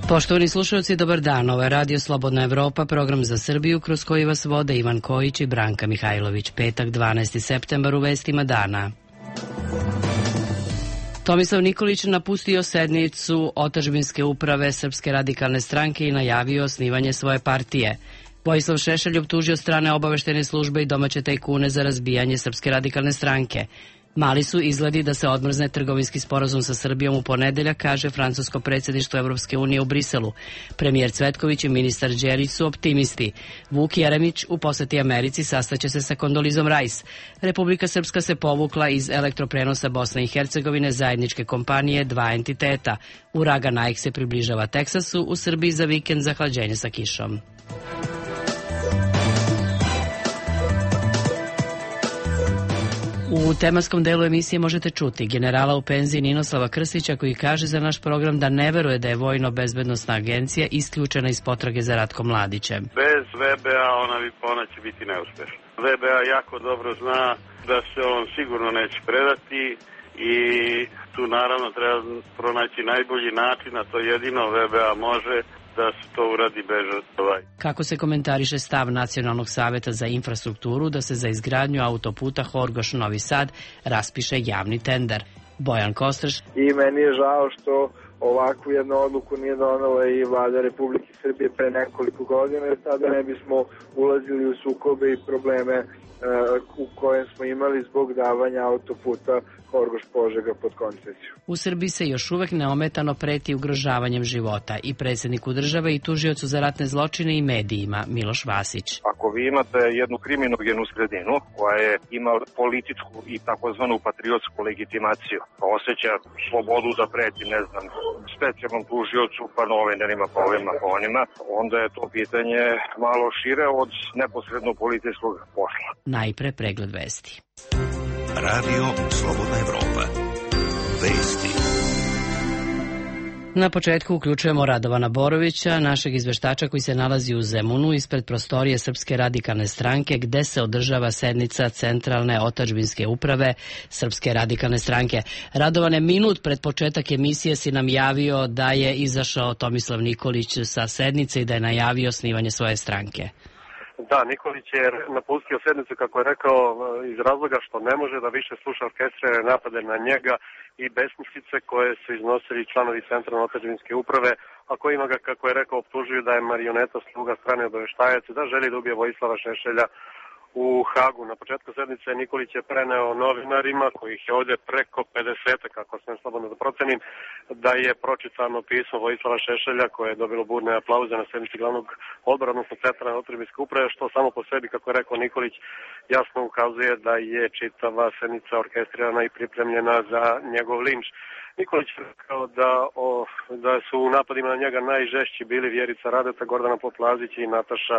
Poštovani slušalci, dobar dan. Ovo je Radio Slobodna Evropa, program za Srbiju kroz koji vas vode Ivan Kojić i Branka Mihajlović. Petak, 12. septembar, u vestima dana. Tomislav Nikolić napustio sednicu otadžbinske uprave Srpske radikalne stranke i najavio osnivanje svoje partije. Vojislav Šešelj optužio strane obaveštene službe i domaće tajkune za razbijanje Srpske radikalne stranke. Mali su izgledi da se odmrzne trgovinski sporazum sa Srbijom u ponedeljak, kaže francusko predsjedništvo Evropske unije u Briselu. Premijer Cvetković i ministar Đelić su optimisti. Vuk Jeremić u poseti Americi sastaće se sa Kondolizom Rajs. Republika Srpska se povukla iz elektroprenosa Bosne i Hercegovine, zajedničke kompanije, dva entiteta. Uragan Nike se približava Teksasu, u Srbiji za vikend zahlađenje sa kišom. U tematskom delu emisije možete čuti generala u penziji Ninoslava Krstića koji kaže za naš program da ne veruje da je Vojno-bezbednosna agencija isključena iz potrage za Ratkom Mladićem. Bez VBA ona će biti neuspešna. VBA jako dobro zna da se on sigurno neće predati i tu naravno treba pronaći najbolji način, a to jedino VBA može da se to uradi bez žrtava. Kako se komentariše stav Nacionalnog saveta za infrastrukturu da se za izgradnju autoputa Horgoš-Novi Sad raspiše javni tender? Bojan Kostreš. I meni je žao što ovakvu jednu odluku nije donela i vlada Republike Srbije pre nekoliko godina, jer tada ne bismo ulazili u sukobe i probleme u kojem smo imali zbog davanja autoputa Horgoš-Požega pod koncesiju. U Srbiji se još uvek neometano preti ugrožavanjem života i predsjedniku države i tužiocu za ratne zločine i medijima Miloš Vasić. Ako vi imate jednu kriminogenu sredinu koja je ima političku i takozvanu patriotsku legitimaciju, pa osjeća slobodu da preti, ne znam, specijalnom tužiocu, pa novinarima, pa ovima, pa onima, onda je to pitanje malo šire od neposredno policijskog posla. Najpre pregled vesti. Radio Slobodna Evropa. Vesti. Na početku uključujemo Radovana Borovića, našeg izveštača koji se nalazi u Zemunu ispred prostorije Srpske radikalne stranke gde se održava sednica Centralne otadžbinske uprave Srpske radikalne stranke. Radovane, minut pred početak emisije si nam javio da je izašao Tomislav Nikolić sa sednice i da je najavio osnivanje svoje stranke. Da, Nikolić je napustio sednicu, kako je rekao, iz razloga što ne može da više sluša orkestrirane napade na njega i besmislice koje su iznosili članovi Centralne otadžbinske uprave, a kojima ga, kako je rekao, optužuju da je marioneta, sluga strane obaveštajac, da želi da ubije Vojislava Šešelja u Hagu. Na početku sednice Nikolić je preneo novinarima, kojih je ovdje preko 50, kako sam slobodno da procenim, da je pročitano pismo Vojislava Šešelja koje je dobilo burne aplauze na sednici glavnog odbora, odnosno Centralne otadžbinske uprave, što samo po sebi, kako je rekao Nikolić, jasno ukazuje da je čitava sednica orkestrirana i pripremljena za njegov linč. Nikolić je rekao da su u napadima na njega najžešći bili Vjerica Radeta, Gordana Poplazić i Nataša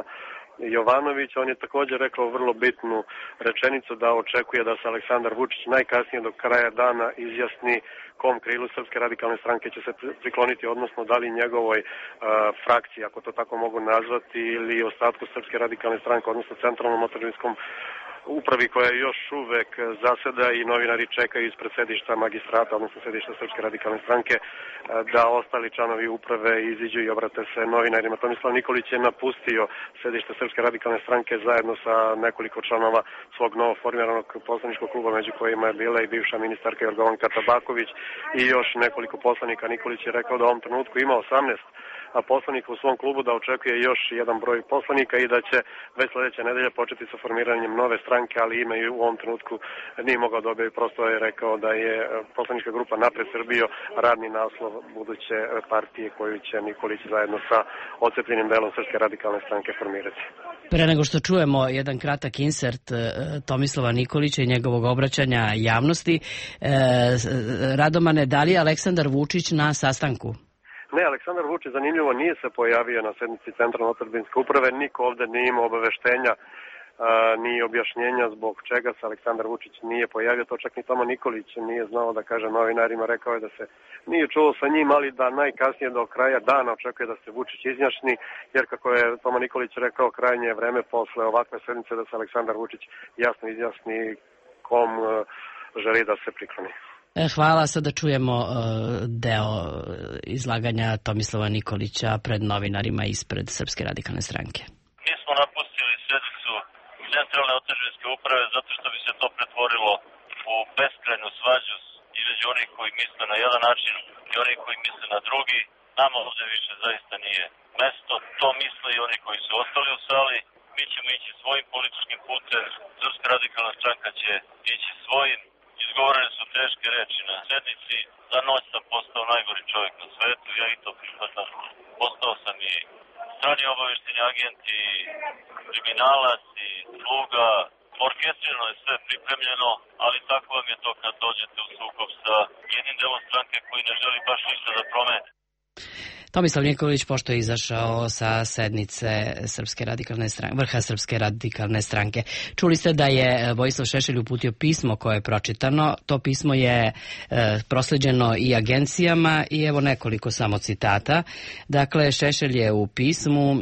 Jovanović. On je također rekao vrlo bitnu rečenicu da očekuje da se Aleksandar Vučić najkasnije do kraja dana izjasni kom krilu Srpske radikalne stranke će se prikloniti, odnosno da li njegovoj frakciji, ako to tako mogu nazvati, ili ostatku Srpske radikalne stranke, odnosno Centralnom otadžbinskom upravi koja još uvek zaseda i novinari čekaju ispred sedišta magistrata, odnosno sedišta Srpske radikalne stranke, da ostali članovi uprave iziđu i obrate se novinarima. Tomislav Nikolić je napustio sedište Srpske radikalne stranke zajedno sa nekoliko članova svog novoformiranog poslaničkog kluba, među kojima je bila i bivša ministarka Jorgovanka Tabaković i još nekoliko poslanika. Nikolić je rekao da u ovom trenutku ima 18 poslanika u svom klubu, da očekuje još jedan broj poslanika i da će već sledeće nedelje početi sa formiranjem nove stranke, ali ime u ovom trenutku nije mogao dobiti. Prosto je rekao da je poslanička grupa Napred Srbijo radni naslov buduće partije koju će Nikolić zajedno sa odcepljenim delom Srpske radikalne stranke formirati. Pre nego što čujemo jedan kratak insert Tomislava Nikolića i njegovog obraćanja javnosti, Radomane, da li je Aleksandar Vučić na sastanku? Ne, Aleksandar Vučić, zanimljivo, nije se pojavio na sednici Centralne otadžbinske uprave, niko ovde nije imao obaveštenja ni objašnjenja zbog čega se Aleksandar Vučić nije pojavio, to čak ni Toma Nikolić nije znao da kaže novinarima, rekao je da se nije čuo sa njim, ali da najkasnije do kraja dana očekuje da se Vučić izjašnji, jer kako je Toma Nikolić rekao, krajnje je vreme posle ovakve sednice da se Aleksandar Vučić jasno izjasni kom želi da se prikloni. Hvala, sada čujemo deo izlaganja Tomislava Nikolića pred novinarima ispred Srpske radikalne stranke. Mi smo napustili sednicu centralne otadžbinske uprave zato što bi se to pretvorilo u beskrajnu svađu između onih koji misle na jedan način i onih koji misle na drugi. Nama ovdje više zaista nije mesto. To misle i oni koji su ostali u sali. Mi ćemo ići svojim političkim putem. Srpska radikalna stranka će ići svojim. Izgovorene su teške reči na sednici. Za noć sam postao najgori čovjek na svetu. Ja i to prihvatam. Postao sam i strani obavešteni agent i kriminalac i sluga. Orkestrirano je sve pripremljeno, ali tako vam je to kad dođete u sukob sa jednim delom stranke koji ne želi baš ništa da promene. Tomislav Nikolić, pošto je izašao sa sednice vrha Srpske radikalne stranke. Čuli ste da je Vojislav Šešelj uputio pismo koje je pročitano. To pismo je prosleđeno i agencijama i evo nekoliko samo citata. Dakle, Šešelj je u pismu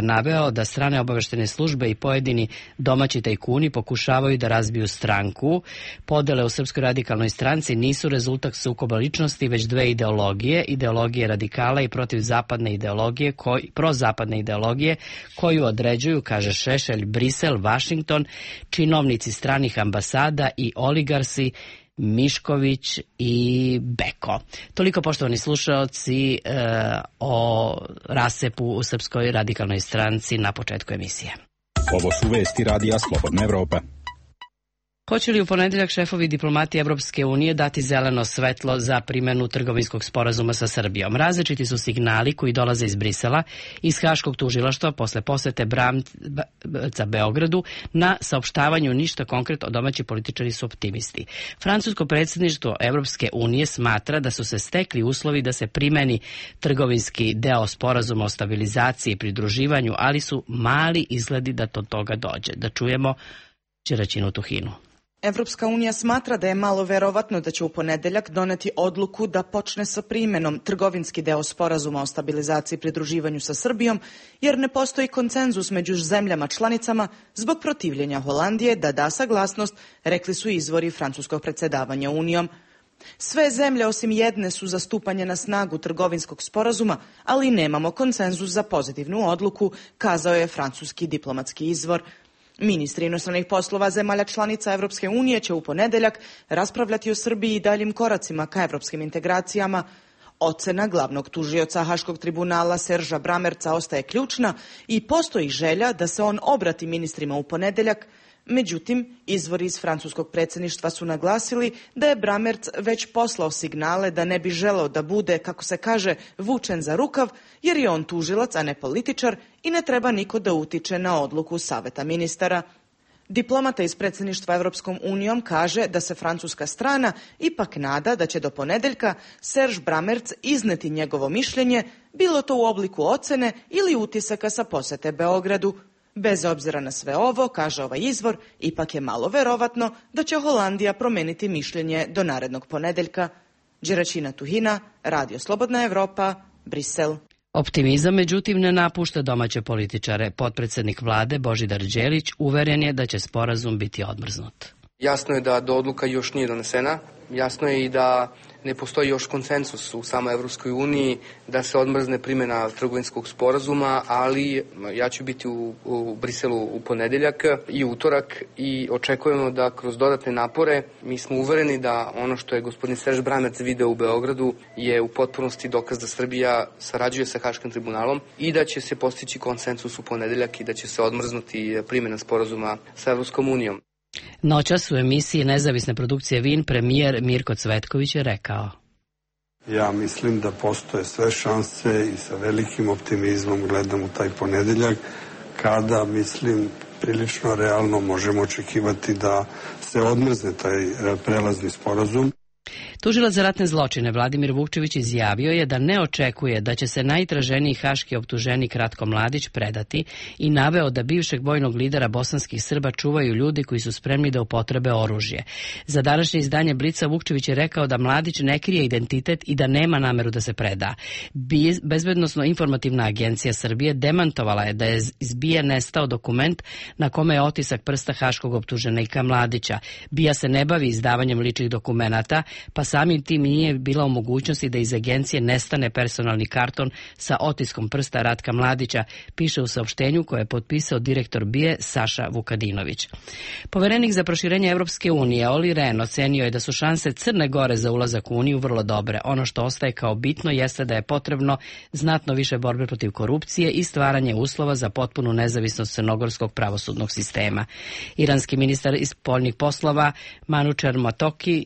naveo da strane obaveštene službe i pojedini domaći tajkuni pokušavaju da razbiju stranku. Podele u Srpskoj radikalnoj stranci nisu rezultat sukoba ličnosti, već dve ideologije. Ideologije radikala i prozapadne ideologije koju određuju, kaže Šešelj, Brisel, Vašington, činovnici stranih ambasada i oligarsi Mišković i Beko. Toliko, poštovani slušaoci, o rasepu u Srpskoj radikalnoj stranci na početku emisije. Ovo su vesti Radija Slobodna Evropa. Hoće li u ponedeljak šefovi diplomatije Evropske unije dati zeleno svetlo za primjenu trgovinskog sporazuma sa Srbijom? Različiti su signali koji dolaze iz Brisela, iz Haškog tužilaštva posle posete Bramca Beogradu. Na saopštavanju ništa konkretno, domaći političari su optimisti. Francusko predsjedništvo Evropske unije smatra da su se stekli uslovi da se primeni trgovinski deo sporazuma o stabilizaciji i pridruživanju, ali su mali izgledi da do toga dođe. Da čujemo Đeraćinu Tuhinu. Evropska unija smatra da je malo verovatno da će u ponedeljak doneti odluku da počne sa primjenom trgovinski deo sporazuma o stabilizaciji i pridruživanju sa Srbijom, jer ne postoji konsenzus među zemljama članicama zbog protivljenja Holandije da da saglasnost, rekli su izvori francuskog predsjedavanja Unijom. Sve zemlje osim jedne su za stupanje na snagu trgovinskog sporazuma, ali nemamo konsenzus za pozitivnu odluku, kazao je francuski diplomatski izvor. Ministri inostranih poslova zemalja članica Evropske unije će u ponedeljak raspravljati o Srbiji i daljim koracima ka evropskim integracijama. Ocena glavnog tužioca Haškog tribunala Serža Bramerca ostaje ključna i postoji želja da se on obrati ministrima u ponedeljak. Međutim, izvori iz francuskog predsjedništva su naglasili da je Bramerc već poslao signale da ne bi želeo da bude, kako se kaže, vučen za rukav, jer je on tužilac, a ne političar i ne treba niko da utiče na odluku Saveta ministara. Diplomata iz predsjedništva Evropskom unijom kaže da se francuska strana ipak nada da će do ponedeljka Serž Bramerc izneti njegovo mišljenje, bilo to u obliku ocene ili utisaka sa posete Beogradu. Bez obzira na sve ovo, kaže ovaj izvor, ipak je malo verovatno da će Holandija promeniti mišljenje do narednog ponedeljka. Đeraćina Tuhina, Radio Slobodna Evropa, Brisel. Optimizam, međutim, ne napušta domaće političare. Potpredsjednik vlade Božidar Đelić uveren je da će sporazum biti odmrznut. Jasno je da do odluka još nije donesena. Jasno je i da ne postoji još konsensus u samoj Evropskoj uniji da se odmrzne primjena trgovinskog sporazuma, ali ja ću biti u Briselu u ponedeljak i utorak i očekujemo da kroz dodatne napore, mi smo uvereni da ono što je gospodin Serž Bramerc video u Beogradu je u potpunosti dokaz da Srbija sarađuje sa Haškim tribunalom i da će se postići konsensus u ponedeljak i da će se odmrznuti primjena sporazuma sa Evropskom unijom. Noćas u emisiji nezavisne produkcije VIN premijer Mirko Cvetković je rekao: Ja mislim da postoje sve šanse i sa velikim optimizmom gledam u taj ponedeljak, kada, mislim, prilično realno možemo očekivati da se odmrzne taj prelazni sporazum. Tužilac za ratne zločine Vladimir Vukčević izjavio je da ne očekuje da će se najtraženiji haški optuženik Ratko Mladić predati i naveo da bivšeg vojnog lidera bosanskih Srba čuvaju ljudi koji su spremni da upotrebe oružje. Za današnje izdanje Blica Vukčević je rekao da Mladić ne krije identitet i da nema nameru da se preda. Bezbednosno informativna agencija Srbije demantovala je da je iz BIA nestao dokument na kome je otisak prsta haškog optuženika Mladića. BIA se ne bavi izdavanjem ličnih dokumenata, pa samim tim nije bila u mogućnosti da iz agencije nestane personalni karton sa otiskom prsta Ratka Mladića, piše u saopštenju koje je potpisao direktor BIA Saša Vukadinović. Poverenik za proširenje Evropske unije Olli Rehn ocenio je da su šanse Crne Gore za ulazak u Uniju vrlo dobre. Ono što ostaje kao bitno jeste da je potrebno znatno više borbe protiv korupcije i stvaranje uslova za potpunu nezavisnost crnogorskog pravosudnog sistema. Iranski ministar spoljnih poslova Manučar Matoki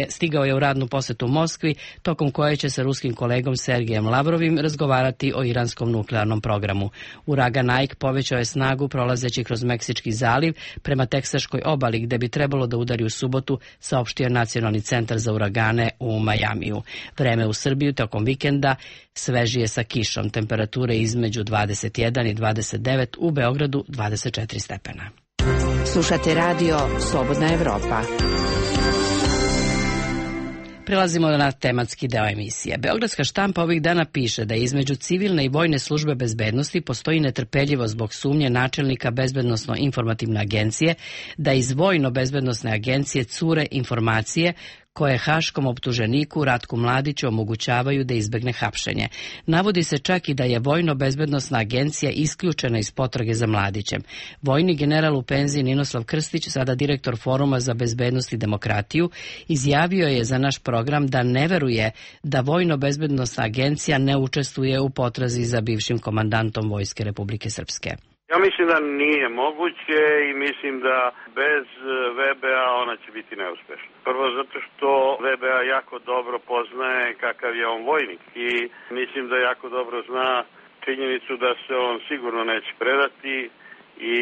stigao je u radnu posetu Moskvi, tokom koje će sa ruskim kolegom Sergejem Lavrovim razgovarati o iranskom nuklearnom programu. Uragan Ike povećao je snagu prolazeći kroz Meksički zaliv prema teksaškoj obali, gde bi trebalo da udari u subotu, saopštio Nacionalni centar za uragane u Majamiju. Vreme u Srbiju tokom vikenda svežije sa kišom, temperature između 21 i 29, u Beogradu 24 stepena. Slušate radio Slobodna Evropa. Prelazimo na tematski deo emisije. Beogradska štampa ovih dana piše da između civilne i vojne službe bezbednosti postoji netrpeljivo zbog sumnje načelnika Bezbednosno-informativne agencije da iz vojno-bezbednosne agencije cure informacije koje haškom optuženiku Ratku Mladiću omogućavaju da izbegne hapšenje. Navodi se čak i da je vojno-bezbednosna agencija isključena iz potrage za Mladićem. Vojni general u penziji Ninoslav Krstić, sada direktor Foruma za bezbednost i demokratiju, izjavio je za naš program da ne veruje da vojno-bezbednosna agencija ne učestvuje u potrazi za bivšim komandantom Vojske Republike Srpske. Ja mislim da nije moguće i mislim da bez VBA ona će biti neuspešna. Prvo zato što VBA jako dobro poznaje kakav je on vojnik i mislim da jako dobro zna činjenicu da se on sigurno neće predati i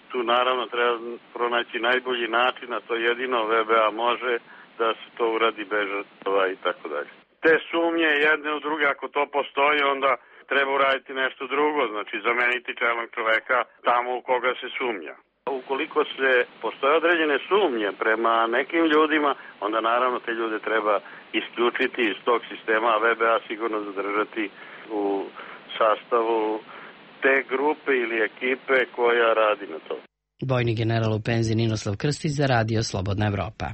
tu naravno treba pronaći najbolji način, a to jedino VBA može da se to uradi bez žrtava i tako dalje. Te sumnje jedne u druge, ako to postoji, onda treba uraditi nešto drugo, znači zameniti čelnog čoveka tamo u koga se sumnja. Ukoliko postoje određene sumnje prema nekim ljudima, onda naravno te ljude treba isključiti iz tog sistema, a VBA sigurno zadržati u sastavu te grupe ili ekipe koja radi na to. Vojni general u penziji Ninoslav Krstić za radio Slobodna Evropa.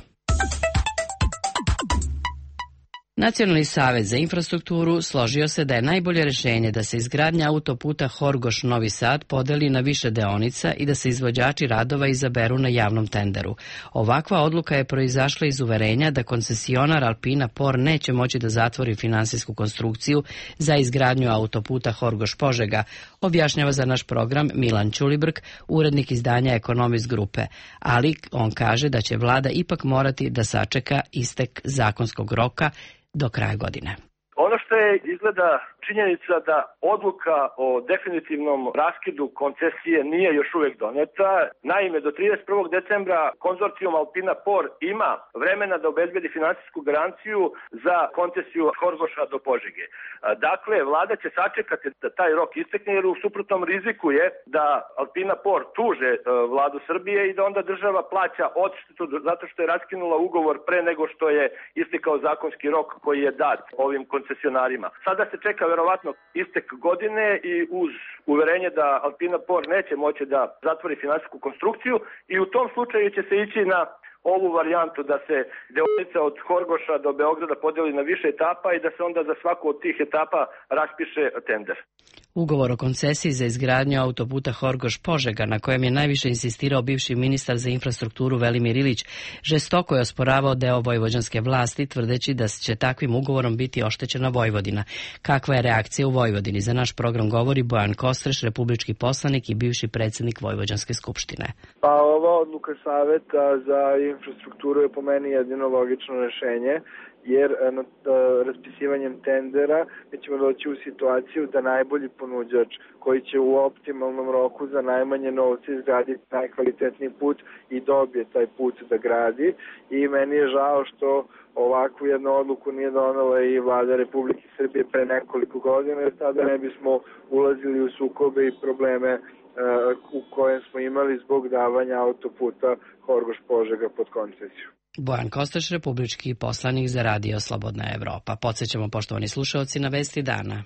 Nacionalni savet za infrastrukturu složio se da je najbolje rešenje da se izgradnja autoputa Horgoš-Novi Sad podeli na više deonica i da se izvođači radova izaberu na javnom tenderu. Ovakva odluka je proizašla iz uverenja da koncesionar Alpina Por neće moći da zatvori finansijsku konstrukciju za izgradnju autoputa Horgoš-Požega, objašnjava za naš program Milan Ćulibrk, urednik izdanja Ekonomist grupe, ali on kaže da će vlada ipak morati da sačeka istek zakonskog roka do kraja godine. Ono što je izgleda činjenica da odluka o definitivnom raskidu koncesije nije još uvijek doneta. Naime, do 31. decembra konzorcijum Alpina Por ima vremena da obezbedi finansijsku garanciju za koncesiju Horgoša do Požege. Dakle, vlada će sačekati da taj rok istekne, jer u suprotnom riziku je da Alpina Por tuže vladu Srbije i da onda država plaća odštetu zato što je raskinula ugovor pre nego što je istekao zakonski rok koji je dat ovim koncesionarima. Sada se čeka verovatno istek godine i uz uverenje da Alpina Por neće moći da zatvori finansijsku konstrukciju i u tom slučaju će se ići na ovu varijantu da se deonica od Horgoša do Beograda podeli na više etapa i da se onda za svaku od tih etapa raspiše tender. Ugovor o koncesiji za izgradnju autoputa Horgoš-Požega, na kojem je najviše insistirao bivši ministar za infrastrukturu Velimir Ilić, žestoko je osporavao deo vojvođanske vlasti, tvrdeći da će takvim ugovorom biti oštećena Vojvodina. Kakva je reakcija u Vojvodini? Za naš program govori Bojan Kostreš, republički poslanik i bivši predsjednik Vojvođanske skupštine. Pa ova odluka Saveta za infrastrukturu je po meni jedino logično rešenje, jer raspisivanjem tendera mi ćemo doći u situaciju da najbolji ponuđač koji će u optimalnom roku za najmanje novce izgraditi najkvalitetniji put i dobije taj put da gradi. I meni je žao što ovakvu jednu odluku nije donela i vlada Republike Srbije pre nekoliko godina, jer tada ne bismo ulazili u sukobe i probleme u kojem smo imali zbog davanja autoputa Horgoš-Požega pod koncesiju. Bojan Kostreš, republički poslanik za radio Slobodna Evropa. Podsećamo, poštovani slušaoci, na vesti dana.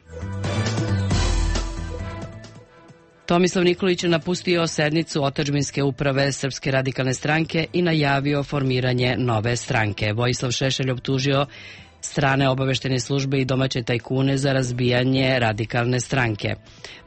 Tomislav Nikolić je napustio sednicu otadžbinske uprave Srpske radikalne stranke i najavio formiranje nove stranke. Vojislav Šešelj optužio strane obaveštene službe i domaće tajkune za razbijanje radikalne stranke.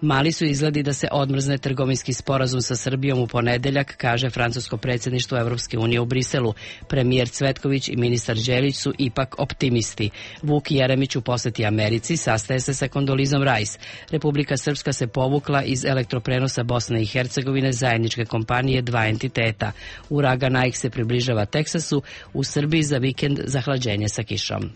Mali su izgledi da se odmrzne trgovinski sporazum sa Srbijom u ponedeljak, kaže francusko predsjedništvo Evropske unije u Briselu. Premijer Cvetković i ministar Đelić su ipak optimisti. Vuk Jeremić u poseti Americi sastaje se sa Kondolizom Rice. Republika Srpska se povukla iz elektroprenosa Bosne i Hercegovine zajedničke kompanije dva entiteta. Uragan Ike se približava Teksasu, u Srbiji za vikend zahlađenje sa kišom.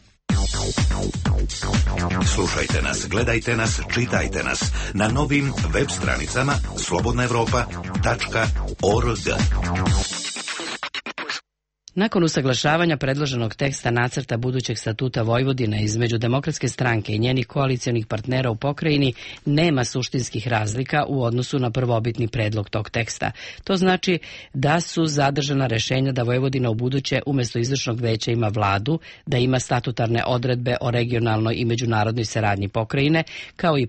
Slušajte nas, gledajte nas, čitajte nas na novim web stranicama slobodnaevropa.org. Nakon usaglašavanja predloženog teksta nacrta budućeg statuta Vojvodine između Demokratske stranke i njenih koalicionih partnera u pokrajini nema suštinskih razlika u odnosu na prvobitni predlog tog teksta. To znači da su zadržana rešenja da Vojvodina u buduće umjesto izvršnog veća ima vladu, da ima statutarne odredbe o regionalnoj i međunarodnoj saradnji pokrajine, kao i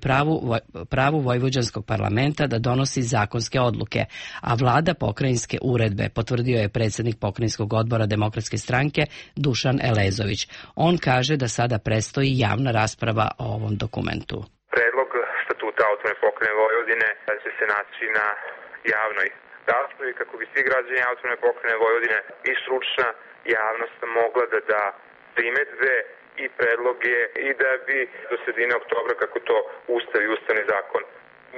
pravu vojvođanskog parlamenta da donosi zakonske odluke, a vlada pokrajinske uredbe, potvrdio je predsjednik pokrajinskog odbora Demokratske stranke Dušan Elezović. On kaže da sada prestoji javna rasprava o ovom dokumentu. Predlog statuta autonomne pokrajine Vojvodine će se naći na javnoj raspravi kako bi svi građani autonomne pokrajine Vojvodine i stručna javnost mogla da da primedbe i predloge i da bi do sredine oktobra, kako to Ustav i Ustavni zakon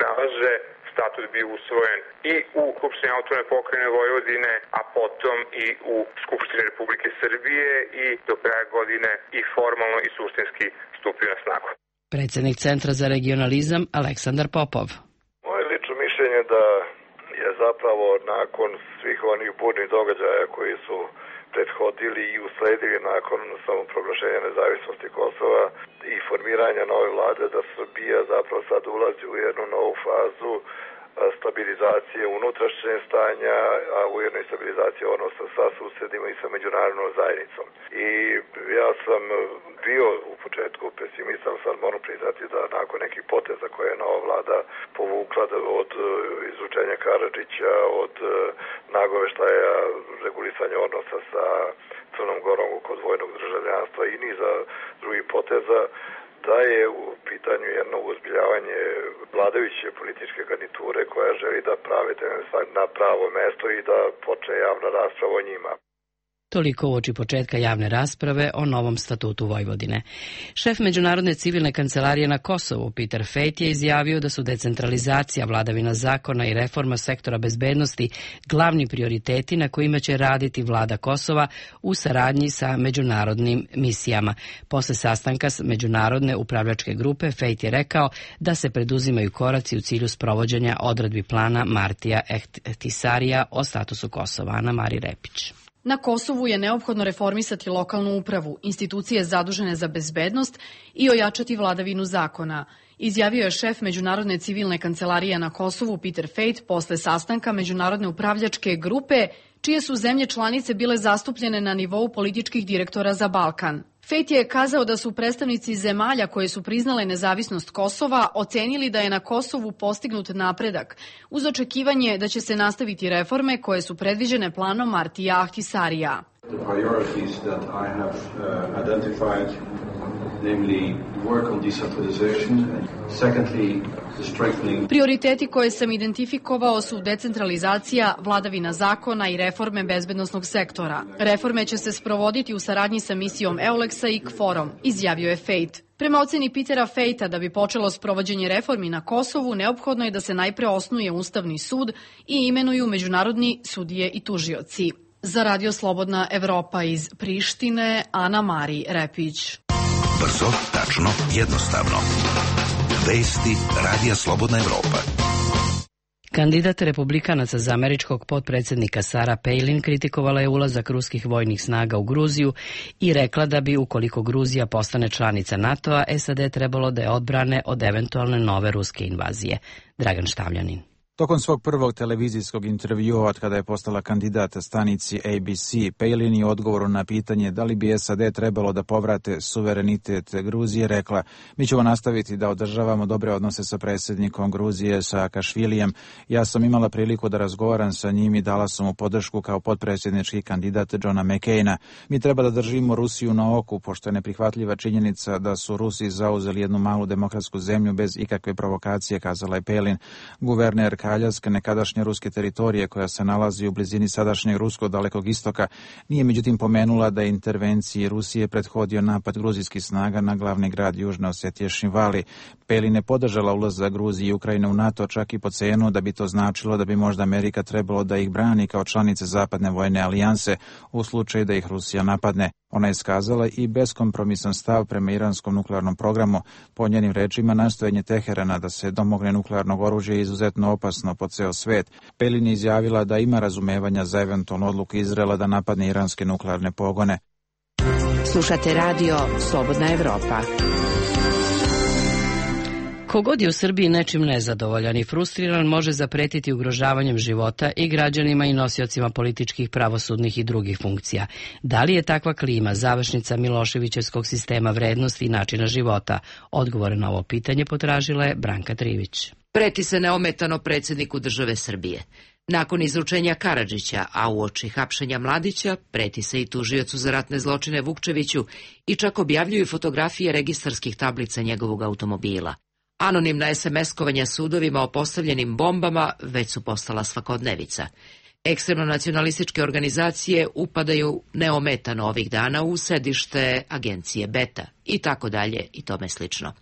nalaže, statut bio usvojen i u Skupštini autonomne pokrajine Vojvodine, a potom i u Skupštini Republike Srbije i do kraja godine i formalno i suštinski stupio na snagu. Predsjednik Centra za regionalizam Aleksandar Popov. Moje lično mišljenje da je zapravo nakon svih onih burnih događaja koji su prethodili i usledili nakon samoproglašenja nezavisnosti Kosova i formiranja nove vlade, da Srbija zapravo sad ulazi u jednu novu fazu stabilizacije unutrašnjeg stanja, a ujedno i stabilizacije odnosa sa susjedima i sa međunarodnom zajednicom. I ja sam bio u početku pesimista, ali sad moram priznati da nakon nekih poteza koje je nova vlada povukla od izručenja Karadžića, od nagoveštaja regulisanja odnosa sa Crnom Gorom kod dvojnog državljanstva i niza drugih poteza, da je u pitanju jedno uzbiljavanje vladajuće političke garniture koja želi da prave na pravo mesto i da počne javna rasprava o njima. Toliko uoči početka javne rasprave o novom statutu Vojvodine. Šef Međunarodne civilne kancelarije na Kosovu, Peter Fejt, je izjavio da su decentralizacija, vladavina zakona i reforma sektora bezbednosti glavni prioriteti na kojima će raditi vlada Kosova u saradnji sa međunarodnim misijama. Posle sastanka s Međunarodne upravljačke grupe, Fejt je rekao da se preduzimaju koraci u cilju sprovođenja odredbi plana Martija Ehtisarija o statusu Kosova. Ana Mari Repić. Na Kosovu je neophodno reformisati lokalnu upravu, institucije zadužene za bezbednost i ojačati vladavinu zakona, izjavio je šef Međunarodne civilne kancelarije na Kosovu Peter Fejt posle sastanka Međunarodne upravljačke grupe, čije su zemlje članice bile zastupljene na nivou političkih direktora za Balkan. Fejt je kazao da su predstavnici zemalja koje su priznale nezavisnost Kosova ocenili da je na Kosovu postignut napredak, uz očekivanje da će se nastaviti reforme koje su predviđene planom Martija Ahtisarija. Prioriteti koje sam identifikovao su decentralizacija, vladavina zakona i reforme bezbednosnog sektora. Reforme će se sprovoditi u saradnji sa misijom EULEX-a i KFOR-om, izjavio je Fejt. Prema oceni Petera Fejta, da bi počelo sprovođenje reformi na Kosovu, neophodno je da se najpre osnuje Ustavni sud i imenuju međunarodni sudije i tužioci. Za Radio Slobodna Evropa iz Prištine, Ana Mari Repić. Brzo, tačno, jednostavno. Vesti Radija Slobodna Evropa. Kandidat republikanaca za američkog potpredsjednika Sarah Palin kritikovala je ulazak ruskih vojnih snaga u Gruziju i rekla da bi, ukoliko Gruzija postane članica NATO-a, SAD trebalo da je odbrane od eventualne nove ruske invazije. Dragan Štavljanin. Tokom svog prvog televizijskog intervjua od kada je postala kandidat stanici ABC, Palin je u odgovoru na pitanje da li bi SAD trebalo da povrate suverenitet Gruzije rekla: mi ćemo nastaviti da održavamo dobre odnose sa predsjednikom Gruzije Saakašvilijem. Ja sam imala priliku da razgovaram sa njim i dala sam mu podršku kao potpredsjednički kandidat Johna McCaina. Mi treba da držimo Rusiju na oku, pošto je neprihvatljiva činjenica da su Rusi zauzeli jednu malu demokratsku zemlju bez ikakve provokacije, kazala je Palin. Guverner Aljaska, nekadašnje ruske teritorije koja se nalazi u blizini sadašnjeg ruskog Dalekog istoka, nije međutim pomenula da je intervenciji Rusije prethodio napad gruzijskih snaga na glavni grad Južne Osetije Šinvali. Palin je podržala ulazak Gruzije i Ukrajine u NATO čak i po cenu da bi to značilo da bi možda Amerika trebalo da ih brani kao članice zapadne vojne alijanse u slučaju da ih Rusija napadne. Ona je iskazala i beskompromisan stav prema iranskom nuklearnom programu. Po njenim rečima, nastojanje Teherana da se domogne nuklearnog oružja je izuzetno opasno po ceo svet. Palin je izjavila da ima razumevanja za eventualnu odluku Izraela da napadne iranske nuklearne pogone. Slušate radio Slobodna Evropa. Kogod je u Srbiji nečim nezadovoljan i frustriran može zapretiti ugrožavanjem života i građanima i nosiocima političkih, pravosudnih i drugih funkcija. Da li je takva klima završnica Miloševićevskog sistema vrednosti i načina života? Odgovore na ovo pitanje potražila je Branka Trivić. Preti se neometano predsjedniku države Srbije. Nakon izručenja Karadžića, a uoči hapšenja Mladića, preti se i tužiocu za ratne zločine Vukčeviću i čak objavljuju fotografije registarskih tablica njegovog automobila. Anonimna SMS-kovanja sudovima o postavljenim bombama već su postala svakodnevica. Ekstremno nacionalističke organizacije upadaju neometano ovih dana u sedište agencije Beta i tako dalje i tome slično.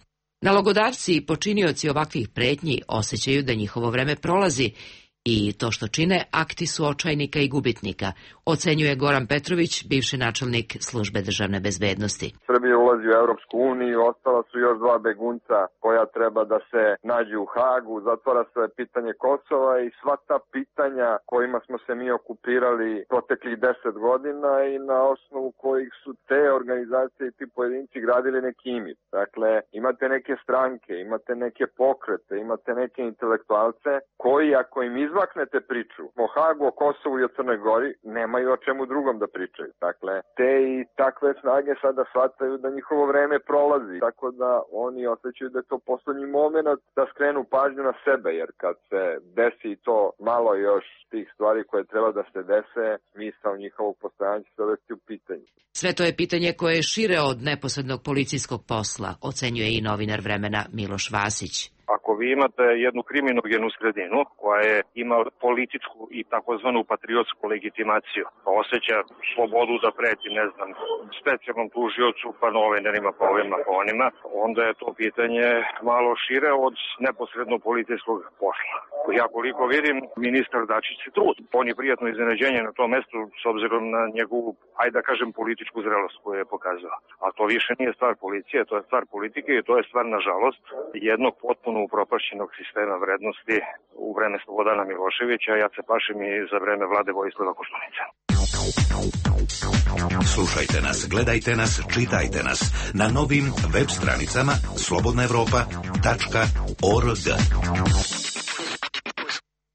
Nalogodavci i počinioci ovakvih pretnji osjećaju da njihovo vreme prolazi i to što čine akti su očajnika i gubitnika, ocenjuje Goran Petrović, bivši načelnik službe državne bezbednosti. Srbija ulazi u Evropsku uniju, ostala su još 2 begunca koja treba da se nađu u Hagu, zatvara se pitanje Kosova i sva ta pitanja kojima smo se mi okupirali proteklih 10 godina i na osnovu kojih su te organizacije i ti pojedinci gradili neki imidž. Dakle, imate neke stranke, imate neke pokrete, imate neke intelektualce koji ako im izmaknete priču o Hagu, o Kosovu i o Crnoj Gori, nemaju o čemu drugom da pričaju. Dakle, te i takve snage sada shvataju da njihovo vreme prolazi, tako da oni osjećaju da je to poslednji moment da skrenu pažnju na sebe, jer kad se desi to malo još tih stvari koje treba da se dese, smisao njihovog postojanja će se dovesti u pitanje. Sve to je pitanje koje je šire od neposrednog policijskog posla, ocenjuje i novinar Vremena Miloš Vasić. Ako vi imate jednu kriminogenu sredinu koja ima političku i takozvanu patriotsku legitimaciju, pa osjeća slobodu da preti, ne znam, specijalnom tužiocu, pa novinarima, pa ovima, pa onima, onda je to pitanje malo šire od neposredno policijskog posla. Ja koliko vidim, ministar Dačić se trudi. On je prijatno iznenađenje na tom mestu s obzirom na njegovu, ajde da kažem, političku zrelost koju je pokazao. A to više nije stvar policije, to je stvar politike i to je stvar, nažalost, jednog potpuno upropašćenog sistema vrednosti u vreme Slobodana Miloševića, ja se pašim i za vreme vlade Vojislava Koštunice. Slušajte nas, gledajte nas, čitajte nas na novim web stranicama slobodnaevropa.org.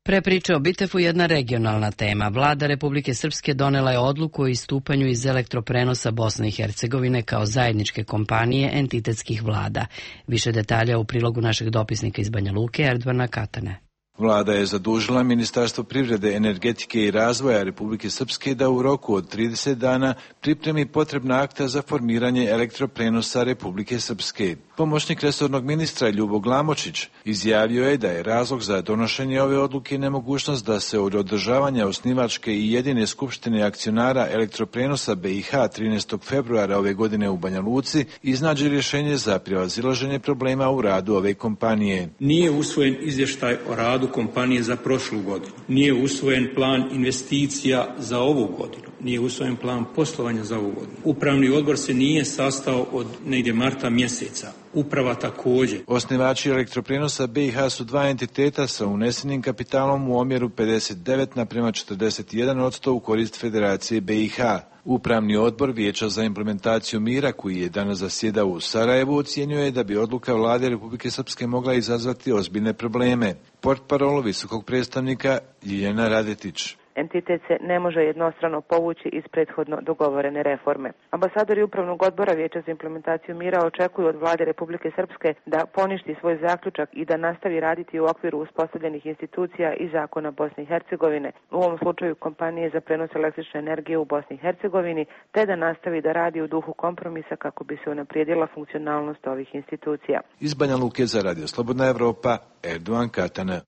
Pre priče o Bitefu jedna regionalna tema. Vlada Republike Srpske donela je odluku o istupanju iz elektroprenosa Bosne i Hercegovine kao zajedničke kompanije entitetskih vlada. Više detalja u prilogu našeg dopisnika iz Banja Luke, Erdvana Katane. Vlada je zadužila Ministarstvo privrede, energetike i razvoja Republike Srpske da u roku od 30 dana pripremi potrebna akta za formiranje elektroprenosa Republike Srpske. Pomoćnik resornog ministra Ljubo Glamočić izjavio je da je razlog za donošenje ove odluke nemogućnost da se od održavanja osnivačke i jedine skupštine akcionara elektroprenosa BiH 13. februara ove godine u Banja Luci iznađe rješenje za prevazilaženje problema u radu ove kompanije. Nije usvojen izvještaj o radu kompanije za prošlu godinu. Nije usvojen plan investicija za ovu godinu. nije usvojen plan poslovanja za ovu godinu. Upravni odbor se nije sastao od negdje marta mjeseca. Uprava također. Osnivači elektroprenosa BiH su dva entiteta sa unesenim kapitalom u omjeru 59:41% u korist Federacije BiH. Upravni odbor Vijeća za implementaciju mira, koji je danas zasjedao u Sarajevu, ocjenjuje da bi odluka vlade Republike Srpske mogla izazvati ozbiljne probleme. Portparol visokog predstavnika Ljiljana Radetić. Entitet se ne može jednostrano povući iz prethodno dogovorene reforme. Ambasadori Upravnog odbora Vijeća za implementaciju mira očekuju od vlade Republike Srpske da poništi svoj zaključak i da nastavi raditi u okviru uspostavljenih institucija i zakona Bosne i Hercegovine, u ovom slučaju kompanije za prenos električne energije u Bosni i Hercegovini, te da nastavi da radi u duhu kompromisa kako bi se unaprijedila funkcionalnost ovih institucija. Iz Banja Luke za Radio Slobodna Evropa, Erdogan Katana.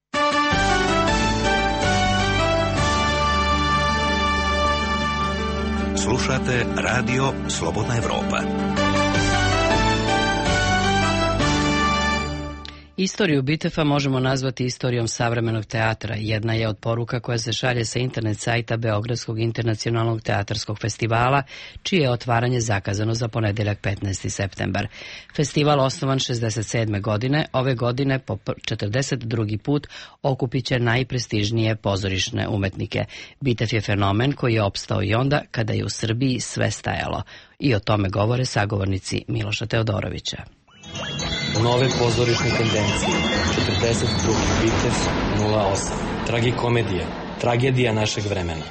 Slušate Radio Slobodna Evropa. Istoriju Bitefa možemo nazvati istorijom savremenog teatra. Jedna je od poruka koja se šalje sa internet sajta Beogradskog internacionalnog teatarskog festivala, čije je otvaranje zakazano za ponedeljak 15. septembar. Festival, osnovan 67. godine, ove godine po 42. put okupit će najprestižnije pozorišne umetnike. Bitef je fenomen koji je opstao i onda kada je u Srbiji sve stajalo. I o tome govore sagovornici Miloša Teodorovića. Nove pozorišne tendencije. 42. Bitef 08. Tragikomedija. Tragedija našeg vremena.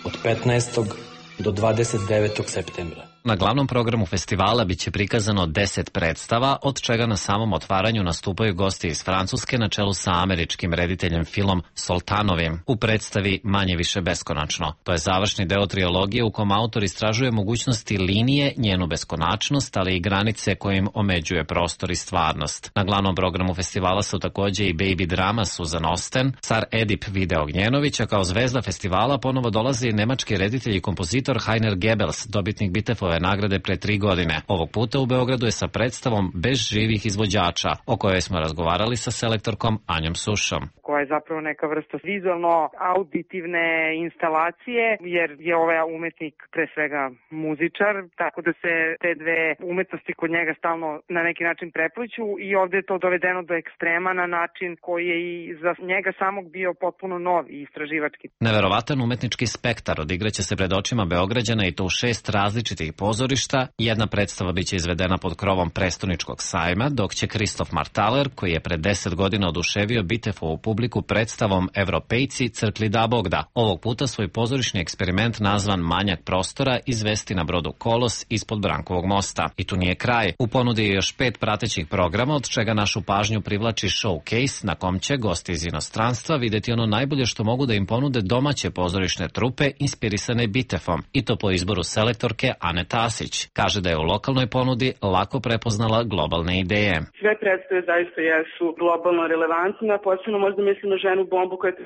Od 15. do 29. septembra. Na glavnom programu festivala biće prikazano 10 predstava, od čega na samom otvaranju nastupaju gosti iz Francuske na čelu sa američkim rediteljem Philom Soltanovim u predstavi Manje više beskonačno. To je završni deo trilogije u kom autor istražuje mogućnosti linije, njenu beskonačnost, ali i granice kojim omeđuje prostor i stvarnost. Na glavnom programu festivala su takođe i baby drama Susan Osten, car Edip Vide Ognjenović, a kao zvezda festivala ponovo dolazi nemački reditelj i kompozitor Heiner Goebbels, dobitnik Bitefove nagrade pre 3 godine. Ovog puta u Beogradu je sa predstavom Bez živih izvođača, o kojoj smo razgovarali sa selektorkom Anjom Sušom. Koja je zapravo neka vrsta vizualno-auditivne instalacije, jer je ovaj umetnik pre svega muzičar, tako da se te dve umetnosti kod njega stalno na neki način prepliću i ovde je to dovedeno do ekstrema na način koji je i za njega samog bio potpuno nov i istraživački. Neverovatan umetnički spektar odigraće se pred očima Beograđana i to u 6 različitih pozorišta. Jedna predstava biće izvedena pod krovom Prestoničkog sajma, dok će Kristof Martaler, koji je pre 10 godina oduševio Bitefovu publiku predstavom Evropejci crkli da Bogda, ovog puta svoj pozorišni eksperiment nazvan Manjak prostora izvesti na brodu Kolos ispod Brankovog mosta. I tu nije kraj. U ponudi je još 5 pratećih programa, od čega našu pažnju privlači showcase na kom će gosti iz inostranstva videti ono najbolje što mogu da im ponude domaće pozorišne trupe inspirisane Bitefom, i to po izboru selektorke Ane Tasić. Kaže da je u lokalnoj ponudi lako prepoznala globalne ideje. Sve predstave zaista jesu globalno relevantne, posebno možda mislim na ženu bombu koja je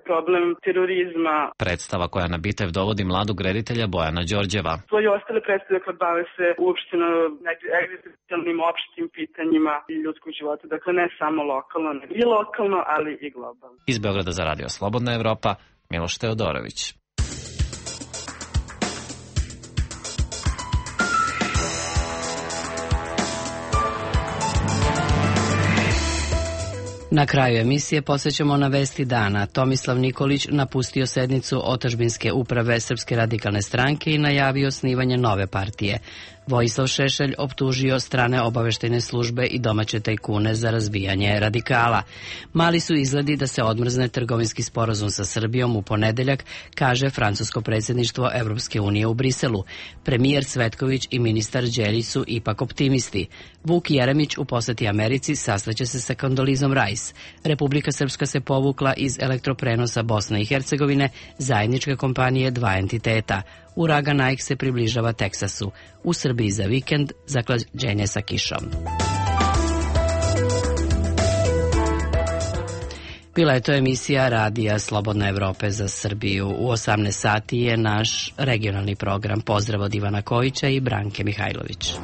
problem terorizma. Predstava koja na Bitev dovodi mladog reditelja Bojana Đorđeva. Svoje ostale predstave koje bave se uopšteno egzistencijalnim opštim pitanjima ljudskog života. Dakle, ne samo lokalno, ne i lokalno, ali i globalno. Iz Beograda za Radio Slobodna Evropa, Miloš Teodorović. Na kraju emisije posjećamo na vesti dana. Tomislav Nikolić napustio sednicu Otadžbinske uprave Srpske radikalne stranke i najavio osnivanje nove partije. Vojislav Šešelj optužio strane obaveštajne službe i domaće tajkune za razbijanje radikala. Mali su izgledi da se odmrzne trgovinski sporazum sa Srbijom u ponedeljak, kaže francusko predsjedništvo Evropske unije u Briselu. Premijer Cvetković i ministar Đelić su ipak optimisti. Vuk Jeremić u poseti Americi sastaće se sa Kondolizom Rice. Republika Srpska se povukla iz elektroprenosa Bosne i Hercegovine, zajedničke kompanije dva entiteta. Uragan Ike se približava Teksasu. U Srbiji za vikend zaklađenje sa kišom. Bila je to emisija Radija Slobodna Evrope za Srbiju. U 18 sati je naš regionalni program. Pozdrav od Ivana Kojića i Branke Mihajlović.